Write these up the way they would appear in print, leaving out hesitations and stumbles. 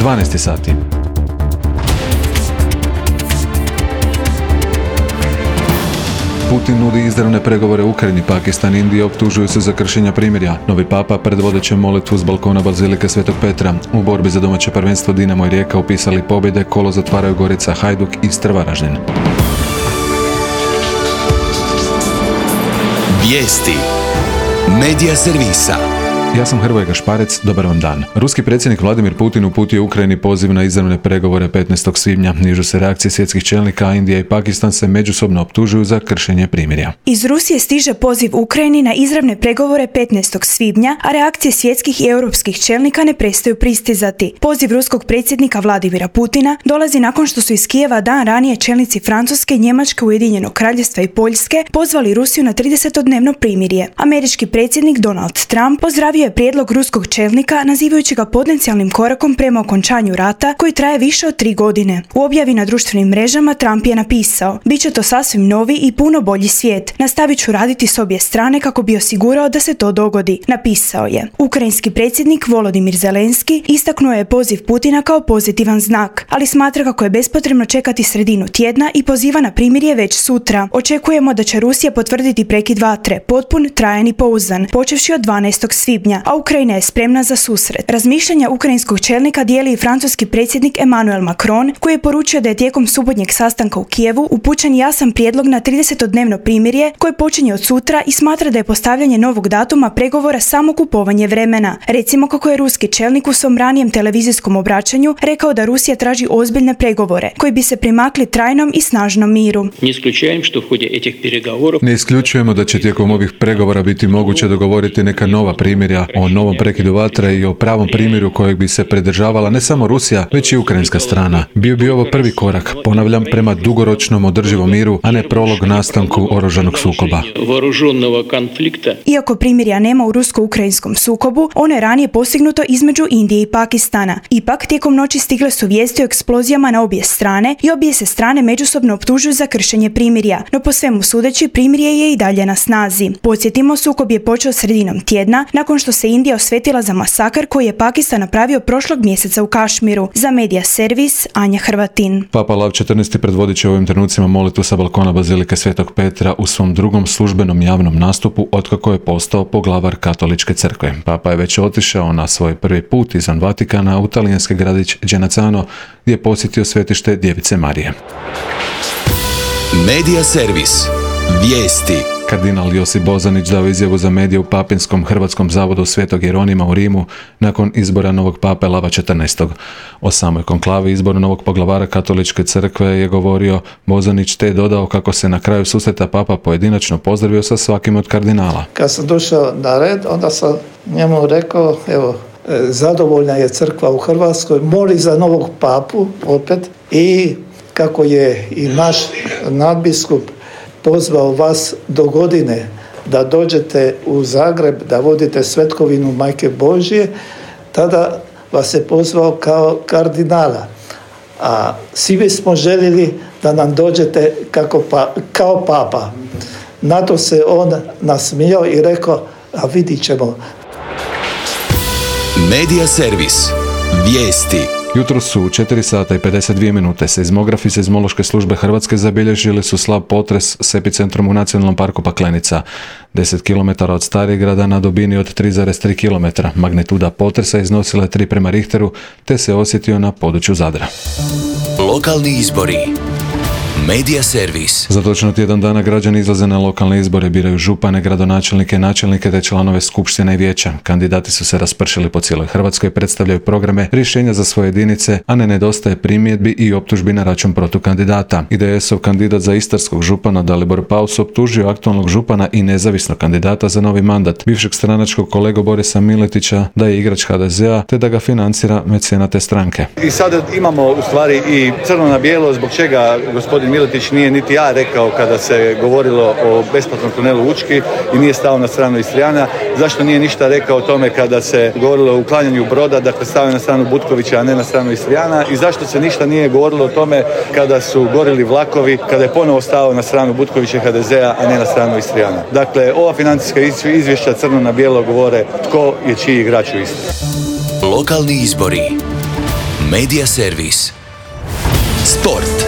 12 sati. Putin nudi izravne pregovore u Ukrajini, Pakistan i Indija optužuju se za kršenja primirja. Novi papa predvodit će molitvu s balkona Bazilike Svetog Petra. U borbi za domaće prvenstvo Dinamo i Rijeka upisali pobjede, kolo zatvaraju Gorica, Hajduk i Istra Varaždin. Vijesti Medija servisa. Ja sam Hrvoje Gašparec, dobar vam dan. Ruski predsjednik Vladimir Putin uputio Ukrajini poziv na izravne pregovore 15. svibnja. Nižu se reakcije svjetskih čelnika, a Indija i Pakistan se međusobno optužuju za kršenje primirja. Iz Rusije stiže poziv Ukrajini na izravne pregovore 15. svibnja, a reakcije svjetskih i europskih čelnika ne prestaju pristizati. Poziv ruskog predsjednika Vladimira Putina dolazi nakon što su iz Kijeva dan ranije čelnici Francuske, Njemačke, Ujedinjenog Kraljevstva i Poljske pozvali Rusiju na 30-dnevno primirje. Američki predsjednik Donald Trump pozdravio je prijedlog ruskog čelnika, nazivajući ga potencijalnim korakom prema okončanju rata koji traje više od 3 godine. U objavi na društvenim mrežama Trump je napisao: "Biće to sasvim novi i puno bolji svijet. Nastavit ću raditi s obje strane kako bi osigurao da se to dogodi", napisao je. Ukrajinski predsjednik Volodimir Zelenski istaknuo je poziv Putina kao pozitivan znak, ali smatra kako je bespotrebno čekati sredinu tjedna i poziva na primirje već sutra. "Očekujemo da će Rusija potvrditi prekid vatre, potpun, trajan i pouzdan, počevši od 12. svibnja, a Ukrajina je spremna za susret." Razmišljanja ukrajinskog čelnika dijeli i francuski predsjednik Emmanuel Macron, koji je poručio da je tijekom subotnjeg sastanka u Kijevu upućen jasan prijedlog na 30-dnevno primirje koje počinje od sutra i smatra da je postavljanje novog datuma pregovora samo kupovanje vremena. Recimo kako je ruski čelnik u svom ranijem televizijskom obraćanju rekao da Rusija traži ozbiljne pregovore koji bi se primakli trajnom i snažnom miru. Ne isključujemo da će tijekom ovih pregovora biti moguće dogovoriti neka nova primirja o novom prekidu vatre i o pravom primjeru kojeg bi se pridržavala ne samo Rusija, već i ukrajinska strana. Bio bi ovo prvi korak, ponavljam, prema dugoročnom održivom miru, a ne prolog nastanku oružanog sukoba. Iako primirja nema u rusko-ukrajinskom sukobu, ono je ranije postignuto između Indije i Pakistana. Ipak, tijekom noći stigle su vijesti o eksplozijama na obje strane i obje se strane međusobno optužuju za kršenje primirja, no po svemu sudeći primirje je i dalje na snazi. Podsjetimo, sukob je počeo sredinom tjedna nakon što se Indija osvetila za masakr koji je Pakistan napravio prošlog mjeseca u Kašmiru. Za Medija servis, Anja Hrvatin. Papa Lav XIV predvodit će u ovim trenucima molitvu sa balkona Bazilike Svetog Petra u svom drugom službenom javnom nastupu otkako je postao poglavar Katoličke crkve. Papa je već otišao na svoj prvi put izvan Vatikana u talijanski gradić Genazzano, gdje je posjetio svetište Djevice Marije. Medija servis. Vijesti. Kardinal Josip Bozanić dao izjavu za medije u Papinskom Hrvatskom zavodu Svetog Jeronima u Rimu nakon izbora novog pape Lava XIV. O samoj konklavi izboru novog poglavara Katoličke crkve je govorio Bozanić, te je dodao kako se na kraju susreta papa pojedinačno pozdravio sa svakim od kardinala. Kad sam došao na red, onda sam njemu rekao, evo, zadovoljna je crkva u Hrvatskoj, moli za novog papu opet, i kako je i naš nadbiskup pozvao vas do godine da dođete u Zagreb, da vodite svetkovinu Majke Božje, tada vas je pozvao kao kardinala. A svi bismo željeli da nam dođete kao papa. Na to se on nasmijao i rekao, a vidit ćemo. Medija servis. Vijesti. Jutro su u 4 sata i 52 minute. Seizmografi Seizmološke službe Hrvatske zabilježili su slab potres s epicentrom u Nacionalnom parku Paklenica, 10 km od Starigrada na dubini od 3,3 km. Magnituda potresa iznosila je 3 prema Richteru, te se osjetio na području Zadra. Lokalni izbori. Medija servis. Za točno tjedan dana građani izlaze na lokalne izbore, biraju župane, gradonačelnike, načelnike te članove skupština i vijeća. Kandidati su se raspršili po cijeloj Hrvatskoj, predstavljaju programe, rješenja za svoje jedinice, a ne nedostaje primjedbi i optužbi na račun protukandidata. IDS-ov kandidat za istarskog župana Dalibor Paus optužio aktualnog župana i nezavisnog kandidata za novi mandat, bivšeg stranačkog kolegu Borisa Miletića, da je igrač HDZ-a te da ga financira mecenat te stranke. I sada imamo u stvari i crno na bijelo zbog čega gospodin Miletić nije niti ja rekao kada se govorilo o besplatnom tunelu Učki i nije stao na stranu Istrijana. Zašto nije ništa rekao o tome kada se govorilo o uklanjanju broda, dakle stavio na stranu Butkovića, a ne na stranu Istrijana, i zašto se ništa nije govorilo o tome kada su gorili vlakovi, kada je ponovo stao na stranu Butkovića HDZ-a, a ne na stranu Istrijana. Dakle, ova financijska izvješća crno na bijelo govore tko je čiji igrač u Istri. Lokalni izbori. Medija servis. Sport.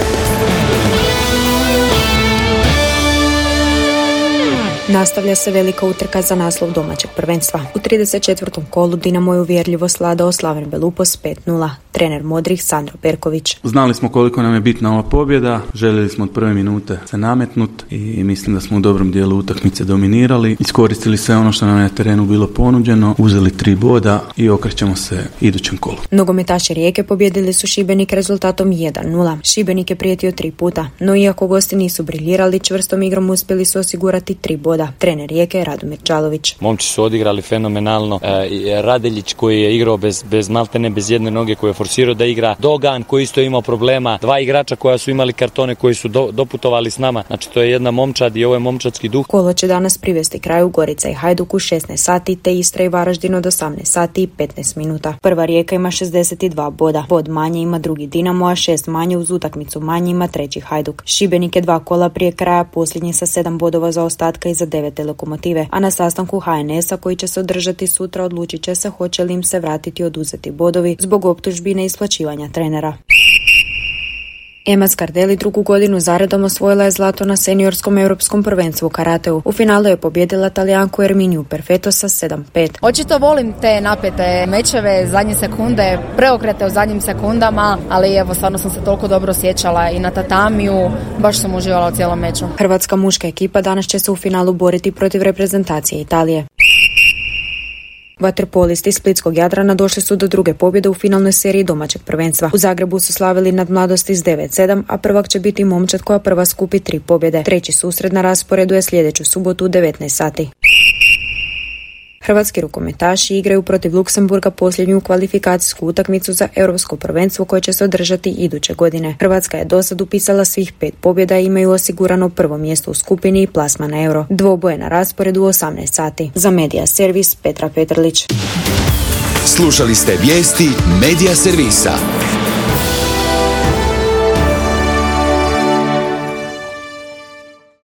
Nastavlja se velika utrka za naslov domaćeg prvenstva. U 34. kolu Dinamo je uvjerljivo sladao Slaven Belupos 5-0. Trener modrih Sandro Perković. Znali smo koliko nam je bitna ova pobjeda, željeli smo od prve minute se nametnut i mislim da smo u dobrom dijelu utakmice dominirali. Iskoristili sve ono što nam je na terenu bilo ponuđeno, uzeli 3 boda i okrećemo se idućem kolu. Nogometaši Rijeke pobjedili su Šibenik rezultatom 1-0. Šibenik je prijetio 3 puta, no iako gosti nisu briljirali, čvrstom igrom uspjeli su osigurati 3 boda. Trener Rijeke je Radomir Čalović. Momci su odigrali fenomenalno. Radeljić koji je igrao bez maltene, bez jedne noge, koji je forsirao da igra. Dogan koji isto imao problema. 2 igrača koja su imali kartone koji su doputovali s nama. Znači to je jedna momčad i ovo je momčadski duh. Kolo će danas privesti kraju Gorica i Hajduk u 16 sati te Istra i Varaždin od 18 sati i 15 minuta. Prva Rijeka ima 62 boda. Bod manje ima drugi Dinamo, a 6 manje uz utakmicu manje ima treći Hajduk. Šibenik je 2 kola prije kraja posljednji sa 7 bodova za ostatka i za 9 Lokomotive, a na sastanku HNS-a koji će se održati sutra odlučit će se hoće li im se vratiti oduzeti bodovi zbog optužbi neisplaćivanja trenera. Ema Scardelli drugu godinu zaredom osvojila je zlato na seniorskom europskom prvenstvu u karateu. U finalu je pobjedila Talijanku Erminiju Perfetto sa 7-5. Očito volim te napete mečeve, zadnje sekunde, preokrete u zadnjim sekundama, ali evo stvarno sam se toliko dobro osjećala i na tatamiju, baš sam uživala u cijelom meču. Hrvatska muška ekipa danas će se u finalu boriti protiv reprezentacije Italije. Vaterpolisti splitskog Jadrana došli su do druge pobjede u finalnoj seriji domaćeg prvenstva. U Zagrebu su slavili nad Mladosti s 9-7, a prvak će biti Momčad koja prva skupi 3 pobjede. Treći susret na rasporedu je sljedeću subotu u 19 sati. Hrvatski rukometaši igraju protiv Luksemburga posljednju kvalifikacijsku utakmicu za europsko prvenstvo koje će se održati iduće godine. Hrvatska je dosad upisala svih 5 pobjeda i imaju osigurano prvo mjesto u skupini i plasma na euro. Dvoboje na rasporedu u 18 sati. Za Medija servis Petra Petrlić. Slušali ste vijesti Medija servisa.